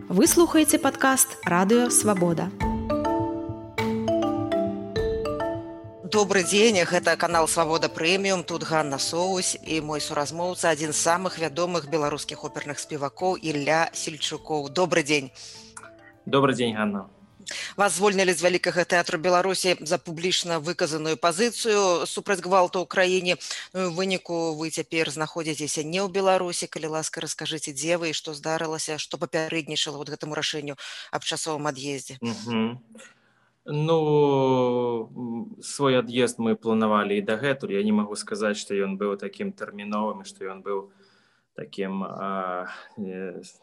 Вы слухаеце падкаст «Радыё Свабода». Добрый дзень, гэта канал «Свабода Прэміум», тут Ганна Соусь і мой суразмоўца, адзін з самых вядомых беларускіх оперных спевакоў Ілля Сельчукоў. Добрый дзень. Добрый дзень, Ганна. Вас звольнілі з вялікага тэатру Беларусі за публічна выказаную пазіцыю супраць гвалту ў краіне. У выніку вы цяпер знаходзіцеся не ў Беларусі. Калі ласка, раскажыце, дзе вы і што здарылася, што папярэднічала гэтаму рашэнню аб часовым ад'ездзе. Свой ад'езд мы планавалі і дагэтуль. Я не магу сказаць, што ён быў такім тэрміновым, што ён быў таким,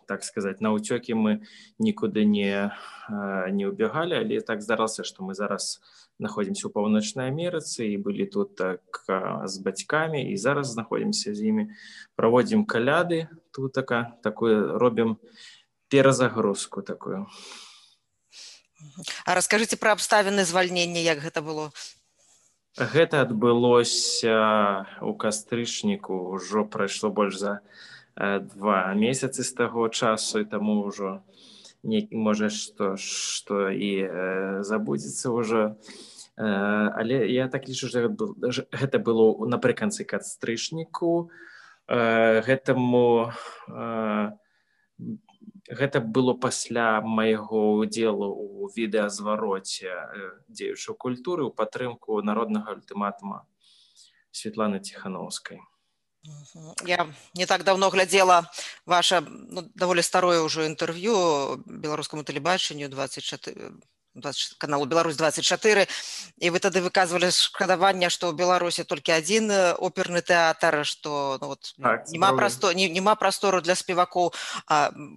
так сказать, на утёкі мы нікуды не убегали, але так здарылася, што мы зараз знаходзімся ў Паўночнай Амерыцы і былі тут так з бацькамі, і зараз знаходзімся з імі, праводзім каляды, тут такую робім перазагрузку такую. А раскажыце пра абставіны звальнення, як гэта было? Гэта адбылося ў кастрычніку, ўжо прайшло больш за 2 месяцы з таго часу, і таму ўжо можа што і забудзецца ўжо. Але я так лічу, што гэта было напрыканцы кастрычніку. Гэта было пасля майго ўдзелу ў відэазвароце дзеючай культуры ў падтрымку народнага ультыматума Светланы Ціхановскай. Я не так давно глядзела ваше даволі старое ўжо інтэрв'ю беларускаму тэлебачанню 24 каналу «Беларусь-24», і вы тады выказвалі шкадаванне, што ў Беларусі толькі адзін оперны тэатр, што няма прастору для спевакоў.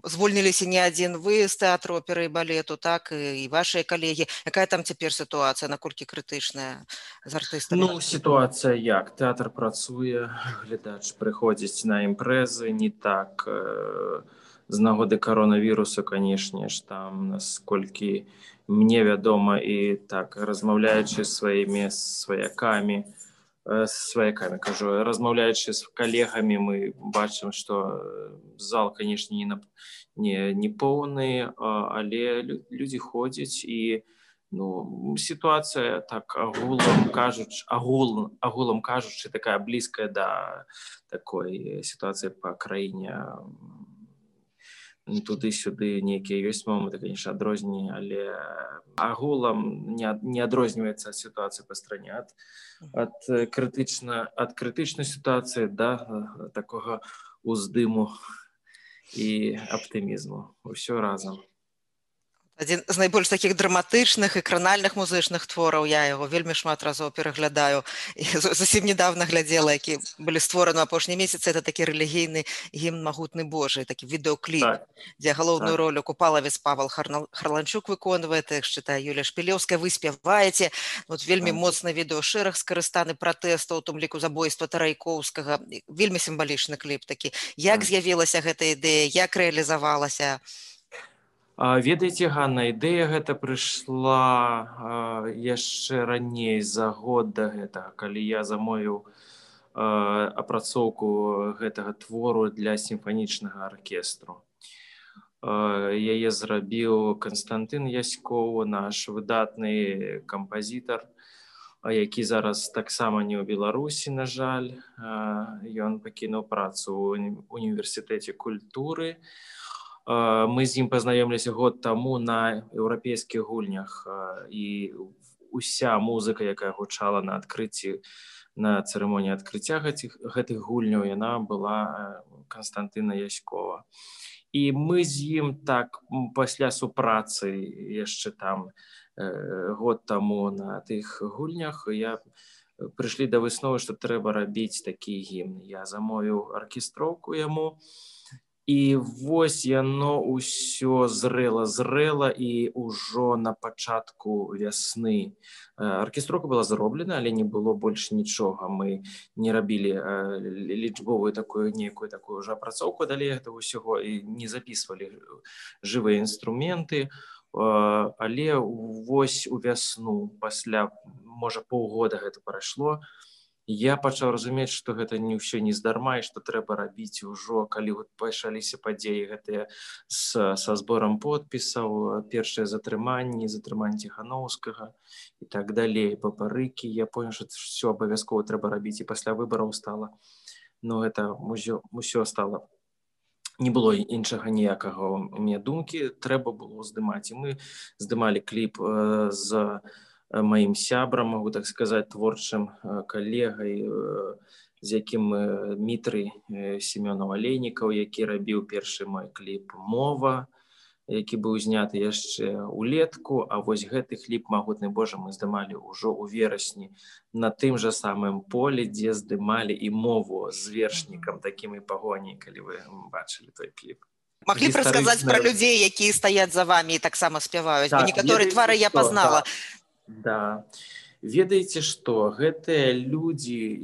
Звольніліся не адзін вы з тэатру оперы і балету, так, і вашыя калегі. Якая там цяпер сітуацыя, наколькі крытычная з артыстамі? Сітуацыя як? Тэатр працуе, глядач прыходзіць на імпрэзы, не так. З нагоды коронавірусу, канешне ж, там, насколькі мне вядома, і так, размаўляючы з сваімі сваякамі, размаўляючы з калегамі, мы бачым, што зал, канешне, не поўны, але людзі ходзяць, і сітуацыя, так, агулам кажучы, такая блізкая да такой сітуацыі па краіне. Туды-сюды нейкія ёсць моманты, конечно, адрозненні, але агулам не адрозніваецца сітуацыя па стране ад крытычнай сітуацыі да такога уздыму і аптымізму. Усё разам. Адзін з найбольш такіх драматычных і кранальных музычных твораў, я яго вельмі шмат разоў пераглядаю, і зусім недавно глядзела, які былі створаны апошнія месяцы. Это такі рэлігійны гімн «Магутны Божий», такі відэокліп, дзе галоўную ролю Купалавец Павел Харланчук выконвае, тэкст чытае Юлія Шпілеўская, вы спяваеце. Вельмі моцны відэошэраг скарыстаны пратэстаў, у тым ліку забойства Тарайкоўскага. Вельмі сімвалічны кліп такі. Як з'явілася гэта ідэя, як рэалізавалася? Ведаеце, Ганна, ідэя гэта прыйшла яшчэ раней, за год да гэтага, калі я замовіў апрацоўку гэтага твору для сімфанічнага аркестру. Яе зрабіў Канстантын Яськоў, наш выдатны кампазітар, які зараз таксама не ў Беларусі, на жаль. Ён пакінуў працу ў універсітэце культуры. Мы з ім пазнаёміліся год таму на еўрапейскіх гульнях, і уся музыка, якая гучала на адкрыцці, на цырымоніі адкрыцця гэтых гульняў, яна была Канстантына Яськова. І мы з ім так пасля супрацы яшчэ там год таму на тых гульнях прыйшлі да высновы, што трэба рабіць такі гімн. Я замовіў аркестроўку яму, і вось яно ўсё зрэла, і ўжо на пачатку вясны аркестроўка была зроблена, але не было больш нічога. Мы не рабілі лічбовую нейкую такую ўжо апрацоўку далей гэтага ўсяго і не запісвалі жывыя інструменты. Але вось у вясну, пасля, можа, паўгода гэта прайшло, Я пачаў разумець, што гэта не ўсё не здарма і што трэба рабіць ужо, калі пачаліся падзеі гэтыя са зборам подпісаў, першыя затрыманні Ціханаўскага і так далей, папарыкі. Я понял, што ўсё абавязкова трэба рабіць, і пасля выбараў стала. Ну, гэта ўсё стала. Не было іншага ніякага у мяне думкі, трэба было здымаць. І мы здымалі кліп з маім сябрам, могу так сказаць, творчым калегай, з якім Дмітрый Семёнаў-Алейнікаў, які рабіў першы мой кліп «Мова», які быў зняты яшчэ ўлетку, а вось гэты кліп «Магутны Божа» мы здымалі ўжо ў верасні на тым жа самым полі, дзе здымалі і «Мову» з вершнікам, такім і пагоняй, калі вы бачылі той кліп. Маглі б расказаць пра людзей, якія стаяць за вамі і таксама спяваюць, бо некаторыя твары я пазнала. Да. Ведаеце што, гэтыя людзі,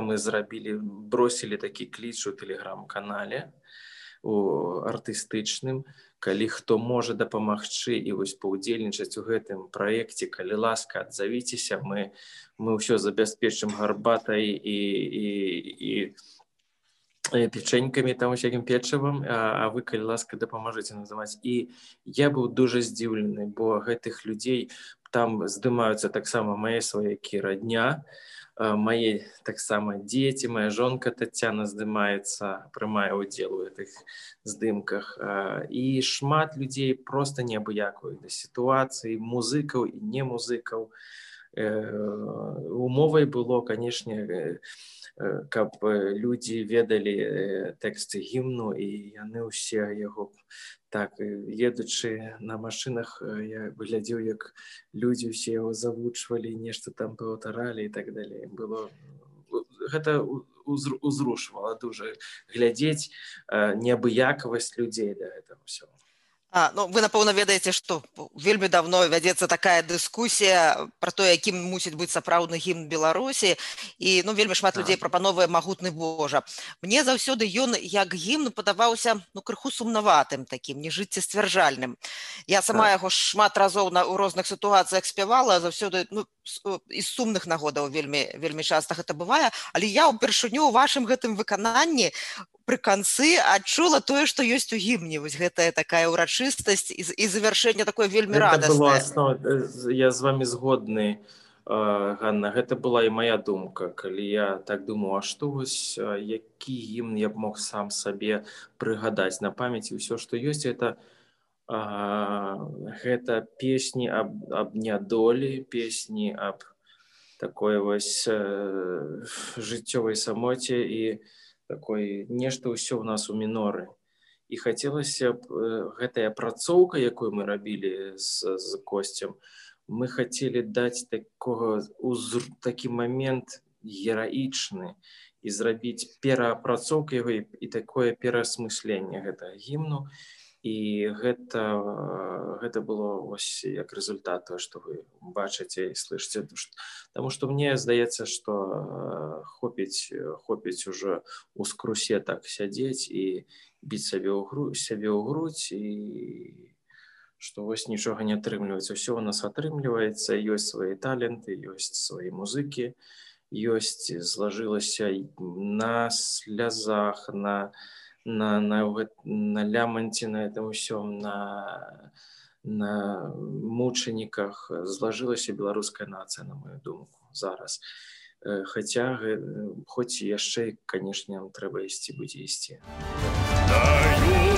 мы бросілі такі кліч у тэлеграм-канале, у артыстычным, калі хто можа дапамагчы і вось паўдзельнічаць у гэтым праекце, калі ласка, адзавіцеся, мы ўсё забяспечым гарбатай і печенькамі, там усякім печывам, а вы, калі ласка, дапамажыце называць. І я быў дуже здзіўлены, бо гэтых людзей там здымаюцца таксама мае сваякі радня, мае таксама дзеці, моя жонка Тацяна здымаецца, прымае ўдзел у гэтых здымках. І шмат людзей проста неабыякавых да сітуацыі, музыкаў і не музыкаў. Умовай было, канешне, каб людзі ведалі тэксты гімну, і яны ўсе яго так, едучы на машынах, я глядзеў, як людзі ўсе яго завучвалі, нешта там паўтаралі і так далей. Гэта узрушвала дуже глядзець неабыякавасць людзей да гэтага ўсяго. Вы, напэўна, ведаеце, што вельмі давно вядзецца такая дыскусія пра то, якім мусіць быць сапраўдны гімн Беларусі, і вельмі шмат людзей прапановвае «Магутны Божа». Мне заўсёды ён як гімн падаваўся крыху сумнаватым такім, нежыццесцвярджальным. Я сама яго шмат разоў у розных сітуацыях спявала, заўсёды з сумных нагодаў вельмі часта гэта бывае, але я ўпершыню ў вашым гэтым выкананні пры канцы адчула тое, што ёсць у гімне. Вось гэтая такая ўрачыстасць і завяршэнне такое вельмі радаснае. Я з вами згодны, Ганна. Гэта была і моя думка, калі я так думаў, а што вось, які гімн я б мог сам сабе прыгадаць на памяці. Усё, што ёсць, гэта песні аб нядолі, песні аб такой вось жыццёвай самоце і такой нешта ўсё ў нас у міноры. І хацелася б гэтая апрацоўка, якую мы рабілі з Косцем, мы хацелі даць такі момент гераічны і зрабіць пераапрацоўку яго і такое пераасмысленне гэтага гімну. І гэта было вось як результат того, што вы бачыце і слышыце. Таму што мне здаецца, што хопіць ужо у скрусе так сядзець і біць сябе ў грудь, і што вось нічога не атрымліваецца. Усё у нас атрымліваецца, ёсць свае таленты, ёсць свае музыкі, ёсць, злажылася на слязах, на ляманце, на этом усём, на мучаніках злажылася беларуская нацыя, на мою думку, зараз. Хаця, хоць яшчэ, канешне, нам трэба ісці, будзе ісці. Країну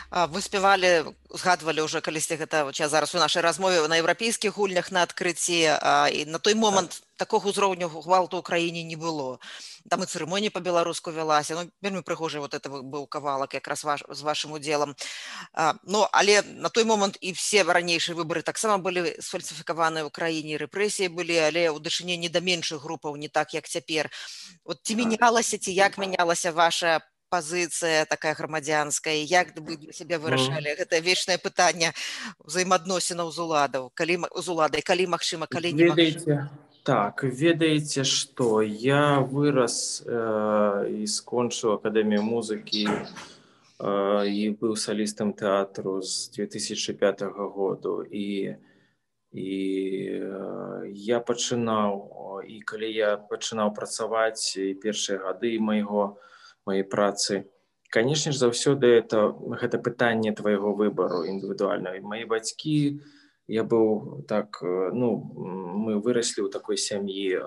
Вы спявалі, згадвалі ўжо калісьці гэта зараз у нашай размове на еўрапейскіх гульнях на адкрыцці, і на той момант такога ўзроўню гвалту ў краіне не было. Там і цырымонія па-беларуску вялася. Ну, вельмі прыгожы вот это быў кавалак якраз з вашым удзелам. Ну, але на той момант і все ранейшыя выбары таксама былі сфальсіфікаваныя ў краіне, рэпрэсіі былі, але ў дачыненні да меншых групаў не так, як цяпер. От ці мянялася, ці як мянялася ваша пазіцыя такая грамадзянская, як вы для сябе вырашалі гэта вечнае пытанне ўзаемаадносінаў з уладай, калі магчыма, калі не магчыма? Так, ведаеце што, я вырас і скончыў акадэмію музыкі і быў салістам тэатру з 2005 году, і я пачынаў, і калі я пачынаў працаваць і першыя гады моей працы, канешне ж, заўсёды гэта пытанне твайго выбару індывідуальнага. Мае бацькі, я быў так, мы выраслі ў такой сям'і,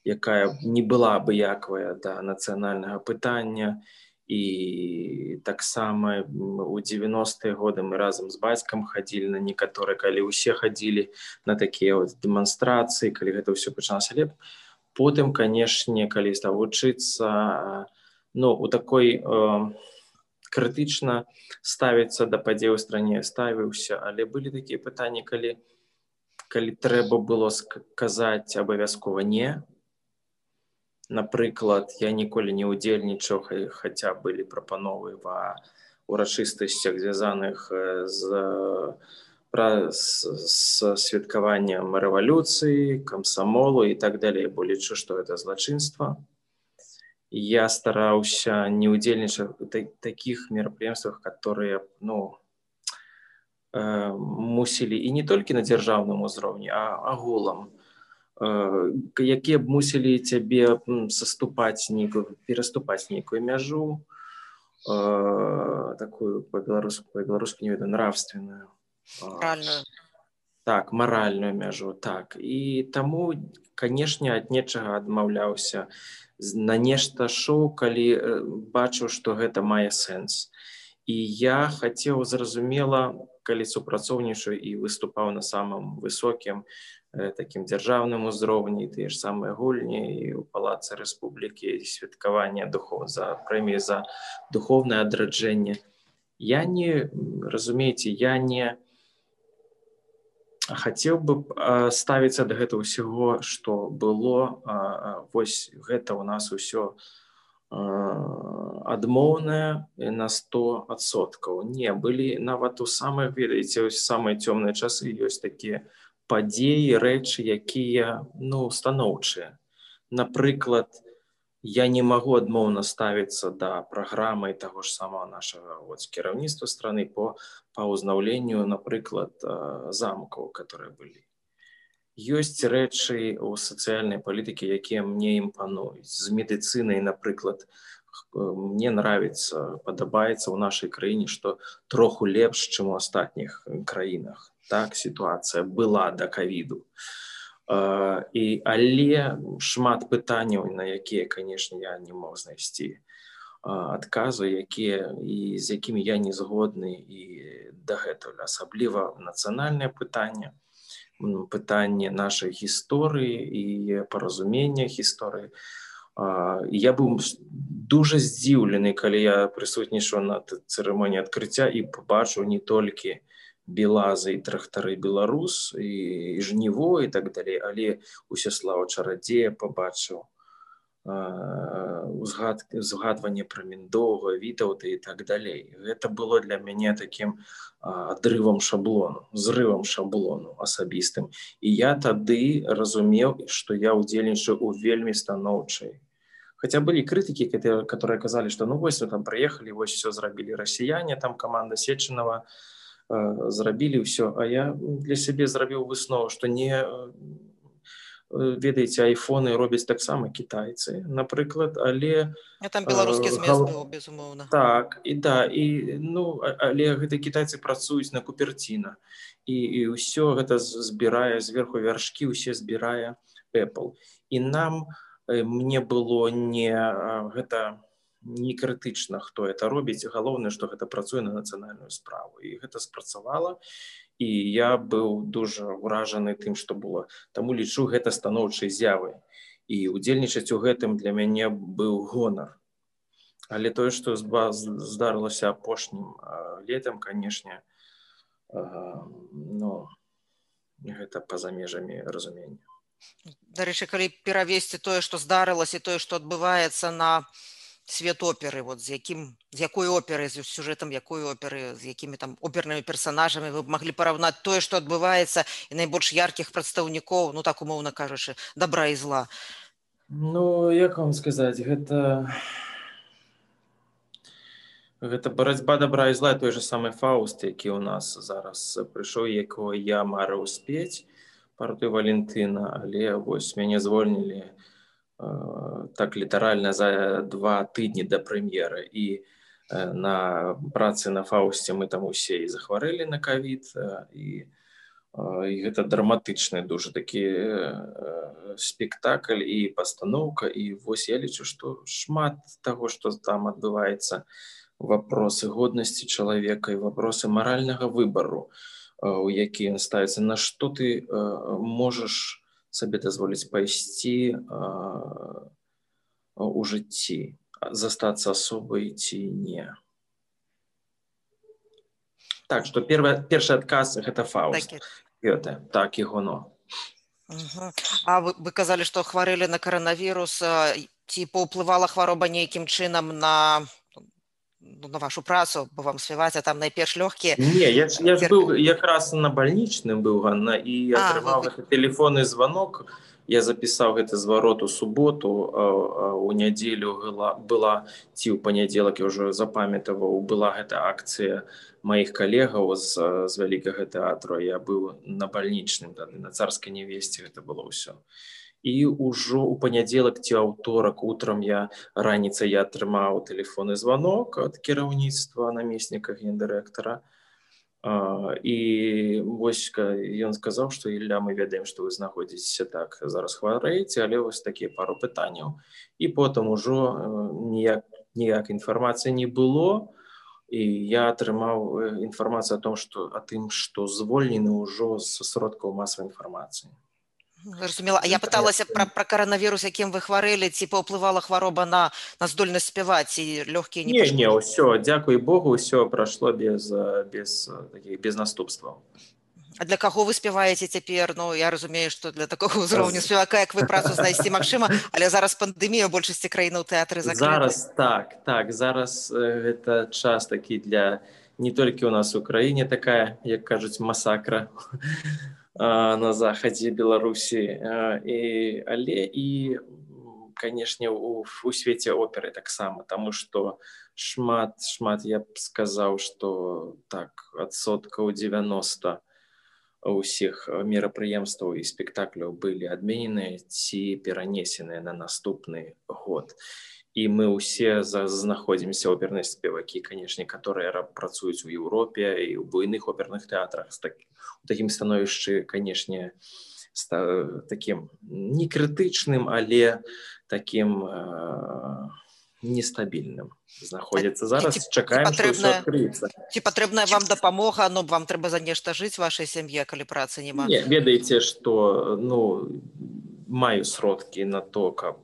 якая не была абыякавая да нацыянальнага пытання, і таксама у 90-е годы мы разам з бацькам хадзілі на некаторыя, калі ўсе хадзілі на такія дэманстрацыі, калі гэта ўсё пачалася. Але потым, канешне, калі стаў вучыцца, у такой крытычна ставіцца да падзей у стране ставіўся, але былі такія пытанні, калі трэба было сказаць абавязкова не. Напрыклад, я ніколі не ўдзельнічаў, хаця былі прапановы ва ўрачыстасцях, звязаных з святкаваннем рэвалюцыі, камсамолу і так далей, бо лічу, што гэта злачынства. Я стараўся не ўдзельнічаць у такіх мерапрыемствах, которые мусілі і не толькі на дзяржаўным узроўні, а агулам, якія б мусілі цябе пераступаць нейкую мяжу, такую па-беларуску не ведаю, нравственную. Маральную. Так, маральную мяжу, так. І таму, канешне, ад нечага адмаўляўся, на нешта шоу, калі бачыў, што гэта мае сэнс. І я хацеў, зразумела, калі супрацоўнічаў і выступаў на самым высокім такім дзяржаўным узроўні, тыя ж самыя гульні і ў Палацы Рэспублікі, святкаванне прэміі за духоўнае адраджэнне. Я не хацеў бы ставіцца да гэтага ўсяго, што было, вось гэта ў нас усё адмоўнае на 100%. Не, былі нават у самых, ведаеце, самыя цёмныя часы ёсць такія падзеі, рэчы, якія, станоўчыя. Напрыклад, я не магу адмоўна ставіцца да праграмы таго ж самого нашага кіраўніцтва страны па ўзнаўленню, напрыклад, замкаў, которые былі. Ёсць рэчы ў сацыяльнай палітыкі, якія мне імпануюць. З медыцынай, напрыклад, мне падабаецца ў нашай краіне, што троху лепш, чым у астатніх краінах. Так, сітуацыя была да ковіду. Але шмат пытанняў, на якія, канешне, я не мог знайсці адказу, з якімі я не згодны і дагэтуль. Асабліва нацыянальнае пытанне, пытанне нашай гісторыі і паразумення гісторыі. Я быў дуже здзіўлены, калі я прысутнічаў на цырымоніі адкрыцця і пабачыў не толькі белазы і трактары беларус, і жніво, і так далей, але Усяслава Чарадзея пабачыў, згадванне пра Міндоўга, Вітаўта і так далей. Гэта было для мяне такім адрывам шаблону, зрывам шаблону асабістым. І я тады разумеў, што я ўдзельнічаю ў вельмі станоўчай. Хаця былі крытыкі, которые казалі, што вось вы там прыехалі, вось все зрабілі расіяне, там каманда Сечанова, зрабілі ўсё, а я для сябе зрабіў выснову, што не, ведаеце, айфоны робяць таксама кітайцы, напрыклад, але... Там беларускі змест быў, безумоўна. Так, але гэта кітайцы працуюць на Купертіна, і ўсё гэта збірае, зверху вяршкі ўсе збірае Apple. І мне было не гэта не крытычна, хто это робіць, галоўнае, што гэта працуе на нацыянальную справу. І гэта спрацавала, і я быў дуже ўражаны тым, што было. Таму лічу гэта станоўчай з'явай. І удзельнічаць у гэтым для мяне быў гонар. Але тое, што здарылася апошнім летам, канешне, гэта па-за межамі разумення. Дарэчы, калі перавесці тое, што здарылася, і тое, што адбываецца на свет оперы, вот з якой оперы, з сюжэтам якой оперы, з якімі там опернымі персанажамі вы б маглі параўнаць тое, што адбываецца, і найбольш яркіх прадстаўнікоў, ну так умоўна кажучы, добра і зла. Ну, як вам сказаць, гэта барацьба добра і зла, той же самы Фауст, які ў нас зараз прыйшоў, якого я марыў спець, партыю Валентына, але вось мяне звольнілі так літаральна за 2 тыдні да прэм'еры, і на працы на Фаусце мы там усе і захварэлі на ковід, і гэта драматычны дуже такі спектакль і пастаноўка, і вось я лічу, што шмат таго, што там адбываецца, вопросы годнасці чалавека і вопросы маральнага выбару, у які ён ставіцца, на што ты можаш сабе дазволіць пайсці у жыцці, застацца асобай ці не. Так, што першы адказ гэта Фауст. Так, Ігоно. А вы казалі, што хварэлі на каранавірус, ці паўплывала хвароба нейкім чынам на вашу працу, бо вам спяваць, а там найперш лёгкія? Не, я ж быў якраз на бальнічным быў, Ганна, і атрымаў гэты тэлефонны званок. Я запісаў гэты зварот у суботу, а ў нядзелю была, ці ў панядзелак, я ўжо запамятаваў, была гэта акцыя маіх калегаў з вялікага тэатру. Я быў на бальнічным, на Царскай Невесце гэта было ўсё. І ўжо ў панядзелак ці аўторак утрам раніцай я атрымаў тэлефонны званок ад кіраўніцтва намесніка гендырэктара. І вось ён сказаў, што Ілля, мы ведаем, што вы знаходзіцеся так, зараз хварэеце, але вось такія пару пытанняў. І потым ужо ніяк інфармацыі не было, і я атрымаў інфармацыю о тым, што звольнены ўжо з сродкаў масавай інфармацыі. Зразумела. А я пыталася пра каранавірус, якім вы хварэлі, ці паўплывала хвароба на здольнасць спяваць, ці лёгкія не пашкодзілі? Не, ўсё, дзякуй Богу, ўсё прайшло без наступстваў. А для каго вы спяваеце цяпер? Ну, я разумею, што для такога ўзроўню спевака, як вы, працу знайсці магчыма, але зараз пандэмія, у большасці краінаў тэатры закрыты. Зараз гэта час такі для не толькі ў нас у краіне такая, як кажуць, масакра на захадзе Беларусі, але і, канешне, у свеце оперы таксама, таму што шмат, я б сказаў, што так, адсоткаў 90 ўсіх мерапрыемстваў і спектакляў былі адмененыя ці перанесеныя на наступны год. І мы ўсе знаходзімся оперныя спевакі, канешне, которые працуюць у Еўропе і ў буйных оперных тэатрах, у такім становішчы, канешне, такім не крытычным, але такім нестабільным знаходзіцца. Зараз чакаем, што ўсё адкрыецца. Ці патрэбная вам дапамога, но вам трэба за нешта жыць вашай сям'і, калі працы няма? Не, ведаеце, што маю сродкі на то, каб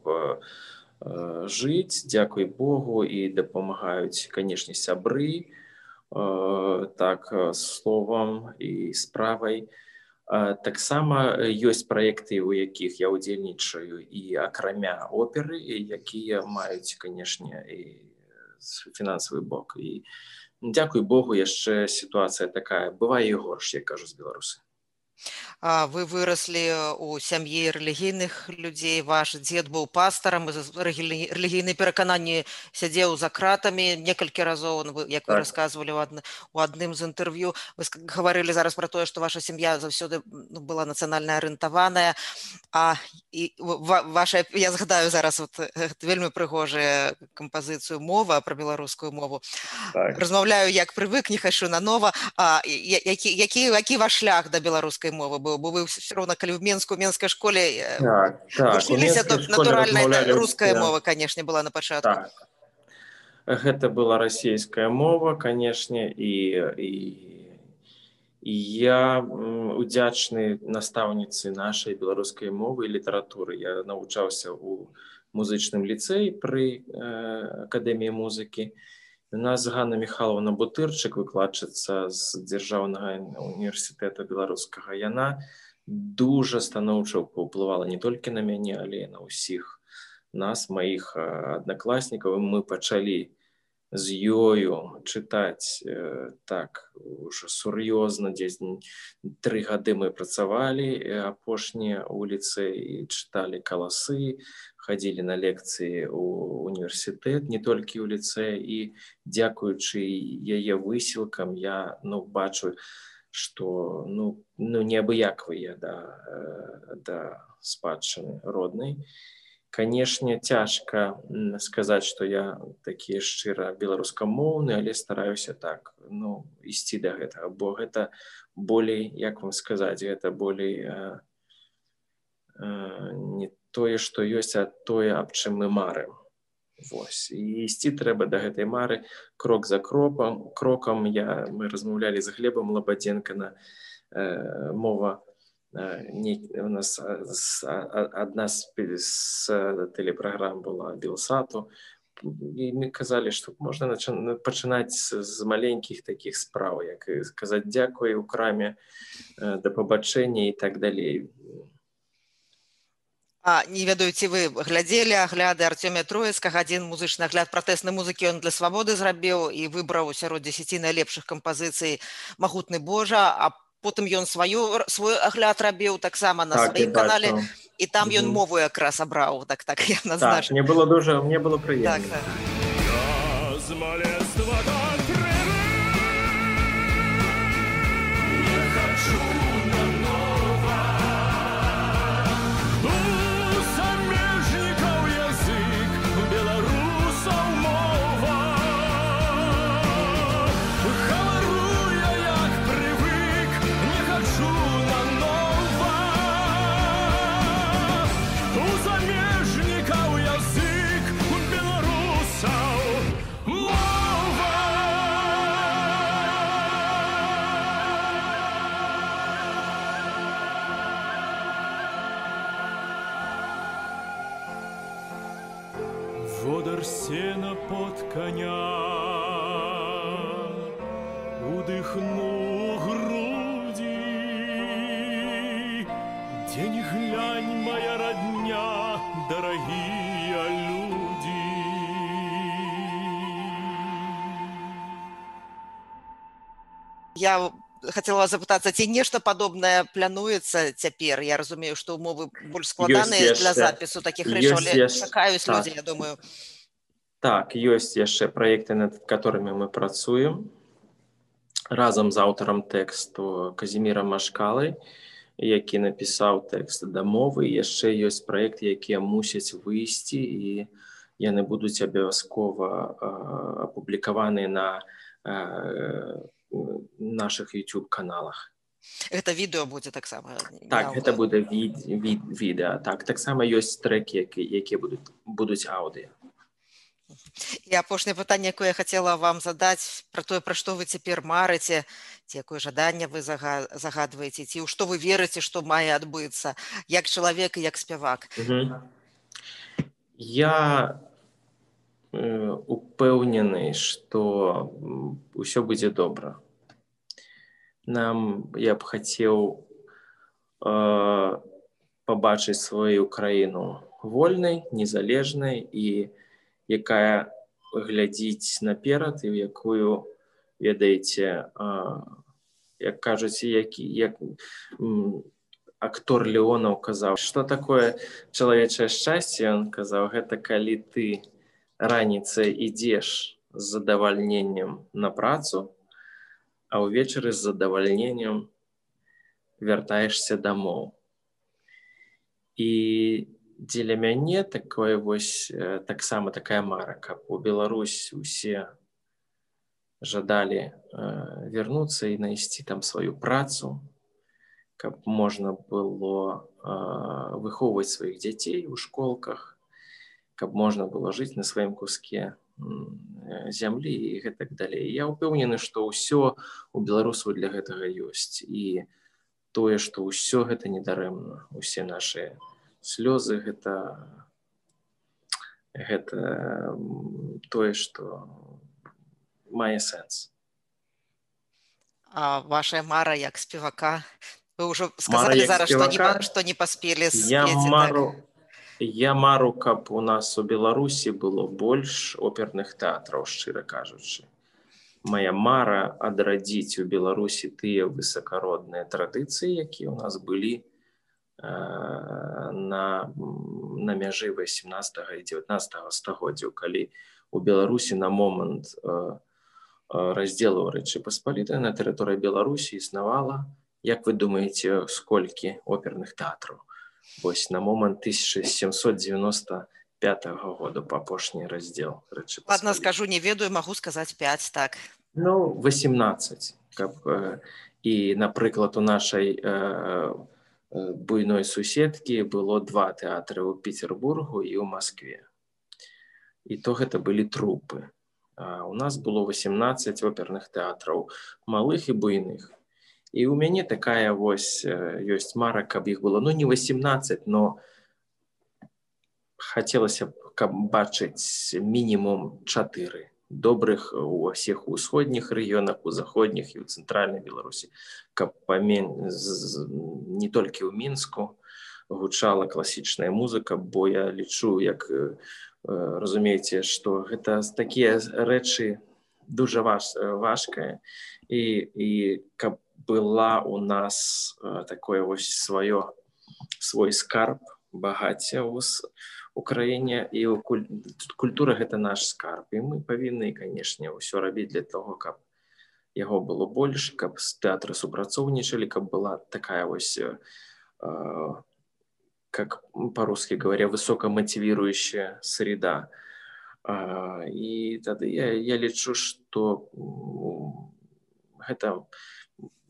жыць, дзякуй Богу, і дапамагаюць, канешне, сябры, так, словам і справай. Таксама ёсць праекты, у якіх я ўдзельнічаю і акрамя оперы, якія маюць, канешне, і фінансавы бок. І дзякуй Богу, яшчэ сітуацыя такая, бывае і горш, як кажуць беларусы. Вы выраслі ў сям'і рэлігійных людзей, ваш дзед быў пастарам, рэлігійныя перакананні сядзеў за кратамі некалькі разоў, як вы расказвалі у адным з інтэрв'ю. Вы гаварылі зараз пра тое, што ваша сям'я заўсёды была нацыянальна арыентаваная. Я згадаю зараз вельмі прыгожую кампазіцыю «Мова» пра беларускую мову. Размаўляю, як прывык, не хачу нанова. Які ваш шлях да беларускай мовы быў? Бо вы все роўна, калі ў менскай школе вучыліся, то натуральна руская мова, канешне, была на пачатку. Гэта была расійская мова, канешне, і я удзячны настаўніцы нашай беларускай мовы і літаратуры. Я навучаўся ў музычным ліцэі пры акадэміі музыкі. У нас Ганна Михайловна Бутырчык, выкладчыца з дзяржаўнага універсітэта беларускага. Яна дуже станоўча паўплывала не толькі на мяне, але і на ўсіх нас, маіх аднакласнікаў. Мы пачалі з ёю чытаць так уже сур'ёзна, дзесь 3 гады мы працавалі апошнія ў ліцэі, чыталі каласы, хадзілі на лекцыі ў універсітэт, не толькі ў ліцэі, і дзякуючы яе высілкам я бачу, што неабыякавыя да спадчыны роднай. Канешне, цяжка сказаць, што я такі шчыра беларускамоўны, але стараюся так, ісці да гэтага, бо гэта болей, як вам сказаць, гэта болей не тое, што ёсць, а тое, аб чым мы марым. Вось. І ісці трэба да гэтай мары крок за крокам. Мы размаўлялі з Глебам Лабадзенка на мова. У нас одна з телепрограм была Белсату, і мы казалі, што можна пачынаць з маленькіх такіх спраў, як казаць дзякуй у краме, да пабачэння і так далей. Не ведаю, ці вы глядзелі агляды Артёмія Троіцкага, адзін музычны агляд пратэснай музыкі ён для свабоды зрабіў і выбраў сярод 10 найлепшых кампазіцый «Магутны Божа», а потым ён свой агляд рабіў таксама на сваім канале, і там ён мову якраз абраў, так я назначу. Так, мне было прыемна. Водар сена под коня, удыхну груди, где ни глянь, моя родня, дорогие люди. Я хотела запытацца, ці нешта падобнае плануецца цяпер? Я разумею, што умовы больш складаныя для запісу такіх рэчаў, але чакаюць людзі, я думаю. Так, ёсць яшчэ праекты, над которымі мы працуем разам з аўтарам тэксту Казімірам Машкалай, які напісаў тэкст да мовы. Яшчэ ёсць праекты, якія мусяць выйсці, і яны будуць абавязкова апублікаваныя на наших YouTube-каналах. Гэта відэо будзе таксама? Так, гэта будзе відэо. Таксама ёсць трэкі, якія будуць аўдыё. І апошняе пытанне, якое я хацела вам задаць, пра тое, пра што вы цяпер марыце, ці якое жаданне вы загадваеце, ці ў што вы верыце, што мае адбыцца, як чалавек і як спявак. Я упэўнены, што ўсё будзе добра. Я б хацеў пабачыць сваю краіну вольнай, незалежнай і якая глядзіць наперад і ў якую, ведаеце, як кажуць, як актор Леонаў казаў, што такое чалавечае шчасце, ён казаў, гэта калі ты раніцай ідзеш з задавальненнем на працу, а ўвечары з задавальненнем вяртаешся дамоў. І дзеля мяне такое вось таксама такая мара, каб у Беларусь усе жадалі вярнуцца і знайсці там сваю працу, каб можна было выхоўваць сваіх дзяцей у школках, каб можна было жыць на сваім куске зямлі і гэтак далей. Я ўпэўнены, што ўсё у беларусаў для гэтага ёсць. І тое, што ўсё гэта недарэмна. Усе нашы слёзы гэта тое, што мае сэнс. А ваша мара як спевака? Вы ўжо сказалі зараз, што не паспелі спець. Я мару, каб у нас у Беларусі было больш оперных тэатраў, шчыра кажучы. Моя мара адрадзіць у Беларусі тыя высакародныя традыцыі, якія ў нас былі на мяжы 18 і 19 стагоддзяў, калі у Беларусі на момант раздзелу Рэчы Паспалітай на тэрыторыі Беларусі існавала, як вы думаеце, сколькі оперных тэатраў? Вось на момант 1795 года па апошні раздзел Рэчы Паспалітай. Ладно, скажу, не ведаю, магу сказаць 5, так. 18. І, напрыклад, у нашай буйной суседкі было 2 тэатры ў Петербургу і ў Маскве. І то гэта былі трупы. У нас было 18 оперных тэатраў, малых і буйных. І у мяне такая вось ёсць мара, каб іх было, не 18, но хацелася б, каб бачыць мінімум 4 добрых у ўсіх усходніх рэгіёнах, у заходніх і ў цэнтральнай Беларусі, каб не толькі ў Мінску гучала класічная музыка, бо я лічу, як разумееце, што гэта такія рэчы дуже важкая, і каб была у нас такое вось свой скарб багацця ў Украіне, і культура гэта наш скарб, і мы павінны, канешне, ўсё рабіць для того, каб яго было больш, каб тэатры супрацоўнічалі, каб была такая вось, как по-русски говоря, высокомотивирующая среда. І тады я лічу, што гэта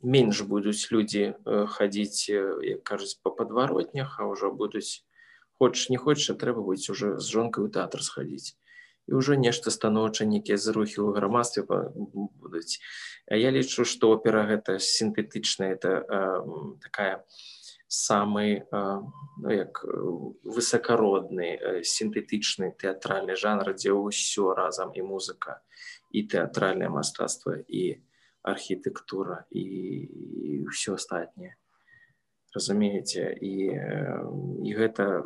менш будуць людзі хадзіць, як кажуць, па падваротнях, а ўжо будуць, хочаш не хочаш, трэба будзе ўжо з жонкай у тэатр схадзіць. І ўжо нешта станоўча, нейкія зрухі ў грамадстве будуць. Я лічу, што опера гэта сінтэтычная, это такая самый высокородный, синтетичный театральный жанр, где все разом, и музыка, и театральное мастацтво, и архитектура, и все остальное. Разумеете? И это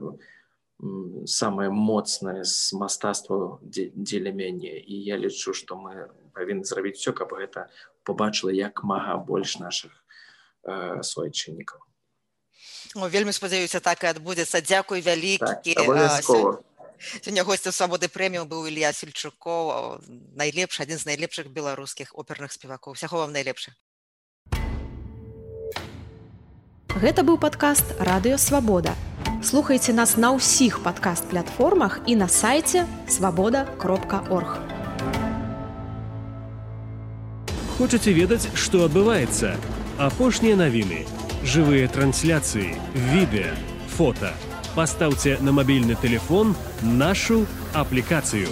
самое моцное з мастацтва дзеля мяне. І я лічу, што мы павінны зрабіць все, каб гэта побачыла як мага больш нашых суайчыннікаў. Вельмі спадзяюся, так і адбудзецца. Дзякуй вялікі. Так, абавязкова. Сёння госцем «Свабоды прэміум» быў Ілля Сельчукоў, адзін з найлепшых беларускіх оперных спевакоў. Усяго вам найлепшых. Гэта быў падкаст «Радыё Свабода». Слухайце нас на ўсіх падкаст-платформах і на сайце swaboda.org. Хочаце ведаць, што адбываецца? Апошнія навіны, жывыя трансляцыі, відэа, фота. Пастаўце на мабільны тэлефон нашу аплікацыю.